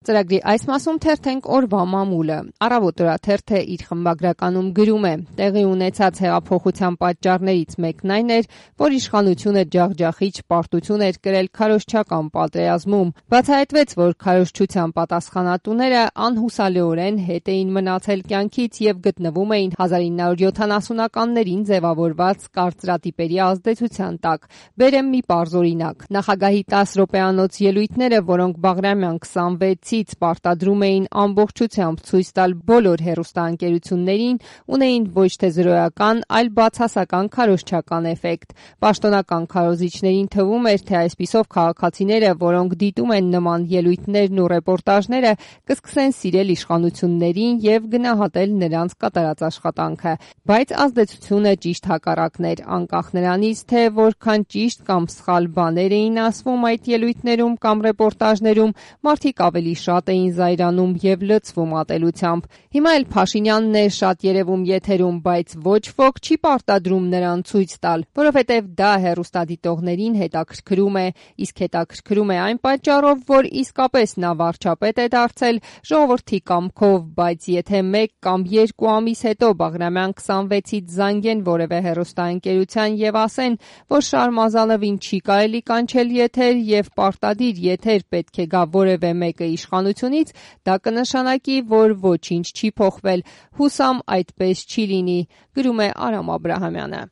Ծրագրի այս մասում թերթենք օրվա մամուլը։ Առավոտ օրաթերթը իր խմբագրականում գրում է. տեղի ունեցած հեղափոխության պատճառներից մեկն այն էր, որ իշխանությունը ջախջախիչ պարտություն էր կրել քարոզչական պատերազմում։ Բացահայտվեց, որ քարոզչության պատասխանատուները անհուսալիորեն հետ էին մնացել կյանքից եւ գտնվում էին 1970-ականներին ձևավորված կարծրատիպերի ազդեցության տակ։ Բերեմ մի պարզ օրինակ։ Նախագահի 10 րոպեանոց ելույթները, որոնք Բաղրամյան 26-ից պարտադրում էին ամբողջությամբ ցույց տալ բոլոր հեռուստաընկերություններին, ունեին ոչ թե զրոյական, այլ բացասական քարոզչական էֆեկտ։ Պաշտոնական քարոզիչներին թվում էր, թե այսպիսով քաղաքացիները, որոնք դիտում են նման ելույթներն ու ռեպորտաժները, կսկսեն սիրել իշխանություններին եւ գնահատել նրանց կատարած աշխատանքը։ Բայց ազդեցությունը ճիշտ հակառակն էր, անկախ նրանից, թե որքան ճիշտ կամ սխալ բաներ էին ասվում այդ ելույթներում կամ ռեպորտաժներում, մարդիկ ավելի շատ էին զայրանում եւ լցվում ատելությամբ։ Հիմա էլ Փաշինյանն է շատ երևում եթերում, բայց ոչ ոք չի պարտադրում նրան ցույց տալ, որովհետեւ դա հեռուստադիտողներին հետաքրքրում է, իսկ հետաքրքրում է այն պատճառով, որ իսկապես նա վարչապետ է դարձել ժողովրդի կամքով, բայց եթե 1 կամ 2 ամիս հետո Բաղրամյան 26-ից զանգեն որևէ հեռուստաընկերության եւ ասեն, որ Շարմազանովին չի կարելի կանչել եթեր եւ պարտադիր եթեր պետք է գա որևէ մեկը իշխանությունից, դա կնշանակի, որ ոչինչ չի փոխվել։ Հուսամ այդպես չի լինի, գրում է Արամ Աբրահամյանը։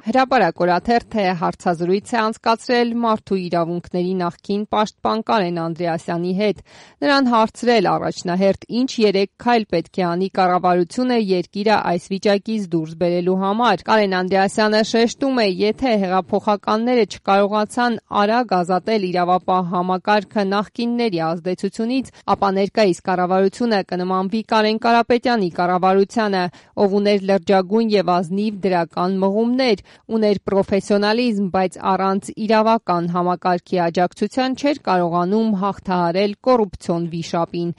Հրապարակ օրաթերթը հարցազրույց է անցկացրել մարդու իրավունքների նախկին պաշտպան Կարեն Անդրեասյանի հետ։ Նրան հարցրել առաջնահերթ ինչ 3 քայլ պետք է անի կառավարությունը երկիրը այս վիճակից դուրս բերելու համար։ Կարեն Անդրեասյանը շեշտում է, եթե հեղափոխականները չկարողացան արագ ազատել իրավապահ համակարգը նախկինների ազդեցությունից, ապա ներկայիս կառավարությունը կնմանվի Կարեն Կարապետյանի կառավարությանը, ով ուներ լրջագույն եւ ազնիվ դրական մղումներ, ուներ պրոֆեսիոնալիզմ, բայց առանց իրավական համակարգի աջակցության չէր կարողանում հաղթահարել կոռուպցիոն վիշապին։